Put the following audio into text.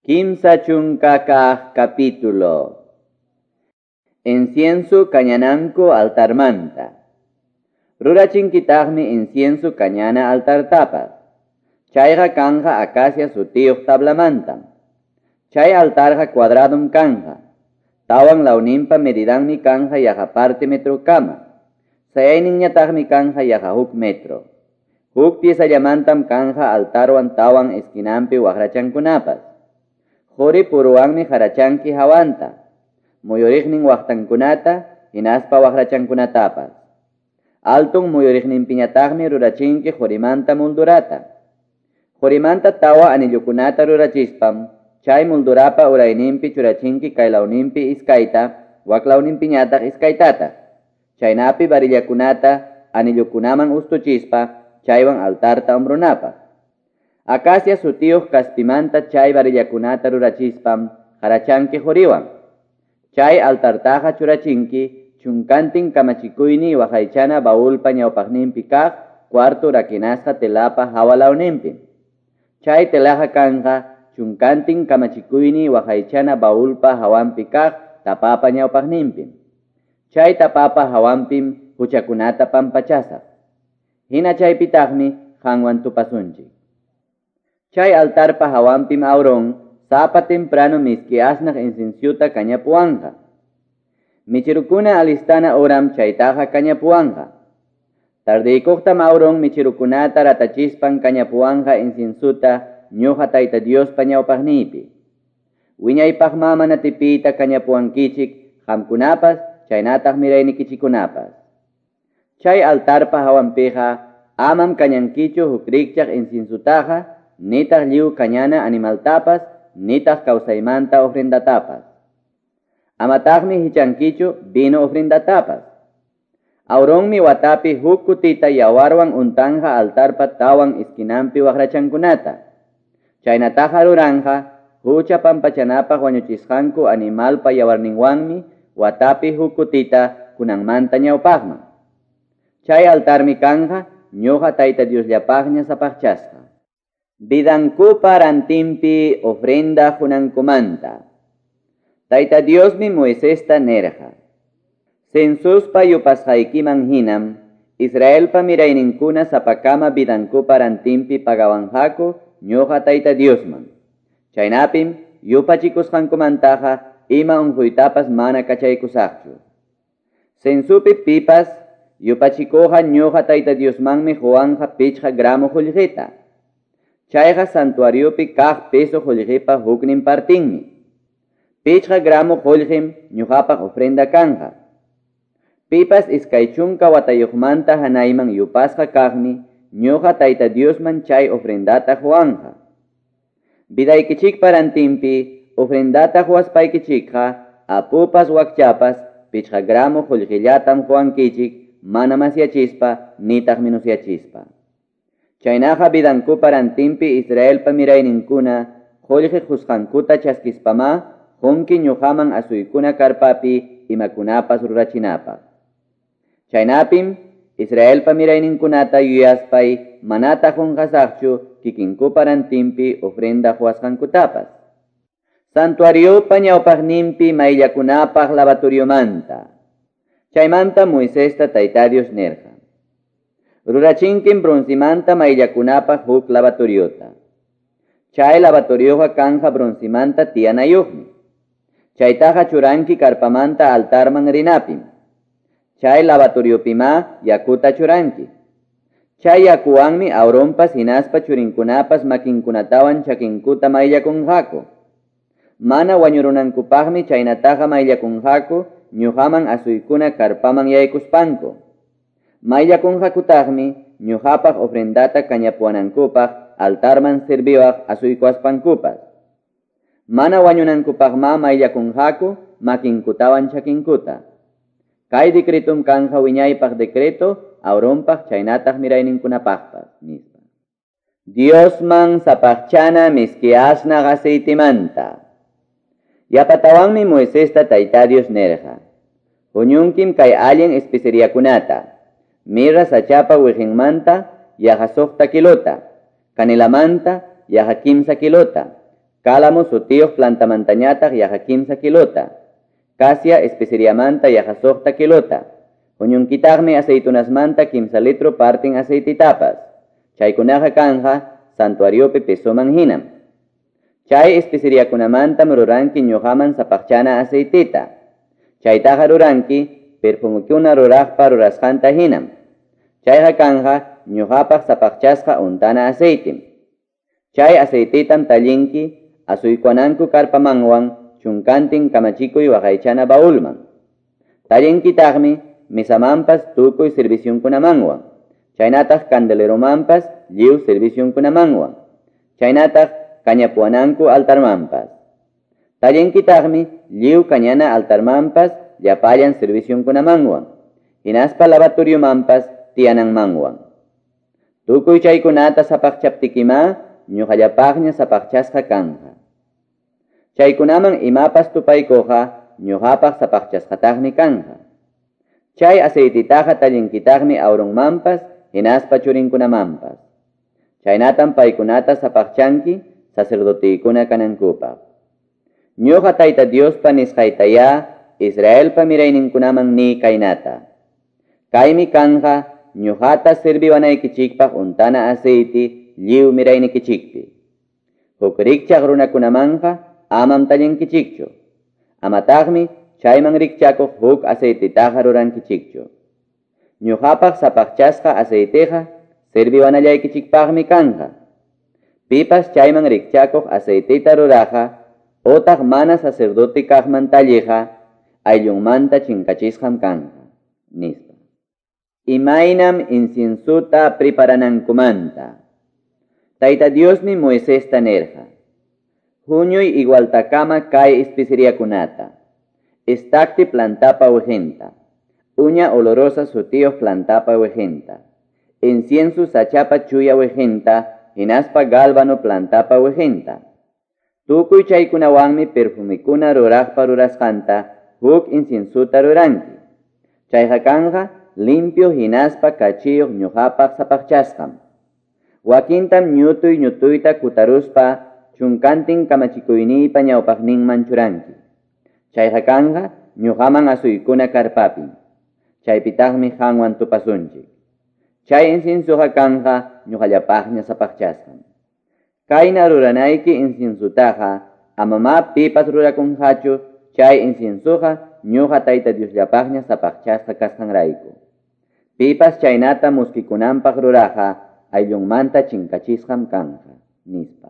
30 capítulo. Incienso kañananku altarmanta. Rurachinkitaqmi incienso kañana altartapas. Chayqa kanja acacia sutiyuq tablamantam. Chay altarqa cuadradum kanja. Tawan lawninpa medidanmi kanja yaqa parte metro kama. Sayayninñataqmi kanja yaqa huk metro. Huk piezallamantam kanja altarwan tawan esquinampi waqrachankunapas. Quri puruwanmi harachanki hawanta, muyuriqnin waqtankunata, hinaspa waqrachankunatapas. Altun muyuriqninpiñataqmi rurachinki qurimanta muldurata. Qurimanta tawa anillukunata rurachispam, chay muldurapa urayninpi churachinki kaylawninpi iskayta, waklawninpiñataq iskaytata. Chaynapi varillakunata anillukunaman ustuchispa, chaywan altarta umbrunapaq. Acacia sutiyuq kaspimanta chay varillakunata rurachispam harachanki quriwan. Chay altartaqa churachinki chunkantin kamachikuyni waqaychana baulpa ñawpaqninpi kaq cuarto rakinasqa telapa hawalawninpi. Chay telaqa kanja chunkantin kamachikuyni waqaychana baulpa hawanpi kaq tapapa ñawpaqninpi. Chay tapapa hawanpim huchakunata pampachasaq. Hina chaypitaqmi qanwan tupasunchik. Chay altarpa hawanpim Aarón sapa temprano miski asnaq inciensuta kañapuwanqa. Michirukuna alistana oram chaytaqa kañapuwanqa. Tardeykuqtam Aarón michirukunata ratachispan kañapuwanqa inciensuta ñuqa Tayta Diospa ñawpaqniypi. Wiñaypaq mana tipiyta kañapuwankichik qamkunapas chaynataq miraynikichikunapas. Chay altarpa hawanpiqa amam kañankichu huk rikchaq inciensutaqa nitaq lliw kañana animaltapas, nitaq kawsaymanta ofrendatapas. Amataqmi hichankichu vino ofrendatapas. Aaronmi watapi huk kutita yawarwan untanja altarpa tawan esquinampi waqrachankunata. Chaynataqa ruranja hucha pampachanapaq wañuchisqanku animalpa yawarninwanmi watapi huk kutita kunanmanta ñawpaqman. Chay altarmi kanja ñuqa Tayta Diosllapaqña sapaqchasqa. Vidankupa rantinpi ofrenda qunankumanta. Tayta Diosmi Moisesta nerqa. Censuspa yupasqaykiman hinam, Israelpa mirayninkuna sapakama vidankupa rantinpi pagawanqaku ñuqa Tayta Diosman. Chaynapim yupachikusqankumantaqa ima unquytapas mana kachaykusaqchu. Censupi pipas yupachikuqa ñuqa Tayta Diosmanmi quwanqa 5 gramo qullqita. Chayqa santuariopi kaq peso qullqipa huknin partinmi. 5 gramo qullqim ñuqapaq ofrenda kanja. Pipas 20 watayuqmanta hanayman yupasqa kaqmi ñuqa Tayta Diosman chay ofrendata quwanja. Vidaykichikpa rantinpi ofrendata quwaspaykichikqa apupas wakchapas 5 gramo qullqillatam quwankichik mana masyachispa nitaq minusyachispa. Chaynaqa vidankupa rantinpi Israelpa mirayninkuna qullqi qusqankuta chaskispamá qunki ñuqaman asuykuna karpapi imakunapas rurachinapaq. Chaynapim Israelpa mirayninkunata yuyaspay manataq qunqasaqchu kikinkupa rantinpi ofrenda quwasqankutapas. Santuariopa ñawpaqninpi mayllakunapaq lavatoriomanta. Chaymanta Moisesta Tayta Dios nerqa. Rurachinkim broncimanta mayllakunapaq huk lavatoriota. Chay lavatorioqa kanja broncimanta tiyanayuqmi. Chaytaqa churanki karpamanta altarman rinapim. Chay lavatoriopimá yakuta churanki. Chay yakuwanmi Aaronpas hinaspa churinkunapas makinkunatawan chakinkuta mayllakunqaku. Mana wañurunankupaqmi chaynataqa mayllakunqaku ñuqaman asuykuna karpaman yaykuspanku. Mayllakunqakutaqmi ñuqapaq ofrendata kañapuwanankupaq altarman serviwaq asuykuaspankupas. Mana wañunankupaqma mayllakunqaku makinkutawan chakinkuta. Kay decretum kanja wiñaypaq decreto Aaronpaq chaynataq mirayninkunapaqpas, nispa. Diosman sapaqchana miski asnaq aceitemanta. Yapatawanmi Moisesta Tayta Dios nerqa. Huñunkim kay allin especeriakunata. Mirra sachapa wiqinmanta yaqa 6 kilota, canelamanta yaqa 3 kilota, Cálamo sutiyuq plantamantañataq yaqa 3 kilota, casia especeriamanta yaqa 6 kilota, huñunkitaqmi aceitunasmanta 3 litro partin aceititapas. Chaykunaqa kanja santuariopi pesoman hinam. Chay especeriakunamantam ruranki ñuqaman sapaqchana aceitita. Chaytaqa ruranki perfumikuna ruraqpa rurasqanta hinam. Chayqa kanja ñuqapaq sapaqchasqa untana aceitim. Chay aceititam tallinki asuykuananku karpamanwan chunkantin kamachikuy waqaychana baulman. Tallinkitaqmi mesamanpas tukuy servicionkunamanwan. Chaynataq candeleromanpas lliw servicionkunamanwan. Chaynataq kañapuananku altarmanpas. Tallinkitaqmi lliw kañana altarmanpas llapallan servicionkunamanwan. Hinaspa lavatoriomanpas tiyananmanwan. Tukuy chaykunata sapaqchaptikima ñuqallapaqña sapaqchasqa kanja. Chaykunaman imapas tupaykuqa ñuqapaq sapaqchasqataqmi kanja. Chay aceititaqa tallinkitaqmi Aaronmanpas hinaspa churinkunamanpas. Chaynatam paykunata sapaqchanki sacerdotikuna kanankupaq. Ñuqa Tayta Diospa nisqaytaya Israelpa mirayninkunaman ni kaynata. Kaymi kanja ñuqata serviwanaykichikpaq untana aceite lliw miraynikichikpi. Huk rikchaq runakunamanja amam tallinkichikchu. Amataqmi chayman rikchakuq huk aceititaqa rurankichikchu. Ñuqapaq sapaqchasqa aceiteqa serviwanallaykichikpaqmi kanja. Pipas chayman rikchakuq aceitita ruraqa otaq mana sacerdote kaqman talliqa ayllunmanta chinkachisqam kanja, nispa. Imaynam inciensuta preparanankumanta. Tayta Diosmi Moisesta nirqa: Huñuy igualtakama kay especeriakunata. Estacte plantapa wiqinta, uña olorosa sutiyuq plantapa wiqinta, incienso sachapa chuya wiqinta, hinaspa gálbano plantapa wiqinta. Tukuy chaykunawanmi perfumikuna ruraqpa rurasqanta huk inciensuta ruranki. Chayqa kanja limpio hinaspa kachiyuq ñuqapaq sapaqchasqam. Wakintam ñutuy ñutuyta kutaruspa chunkantin kamachikuyniypa ñawpaqninman churanki. Chayqa kanja ñuqaman asuykuna karpapim. Chaypitaqmi qanwan tupasunchik. Chay inciensuqa kanja ñuqallapaqña sapaqchasqam. Kayna ruranayki inciensutaqa amama pipas rurakunqachu chay inciensuqa ñuqa Tayta Diosllapaqña sapaqchasqa kasqanrayku. Pipas chaynata muskikunanpaq ruraqa ayllunmanta chinkachisqam kanja, nispa.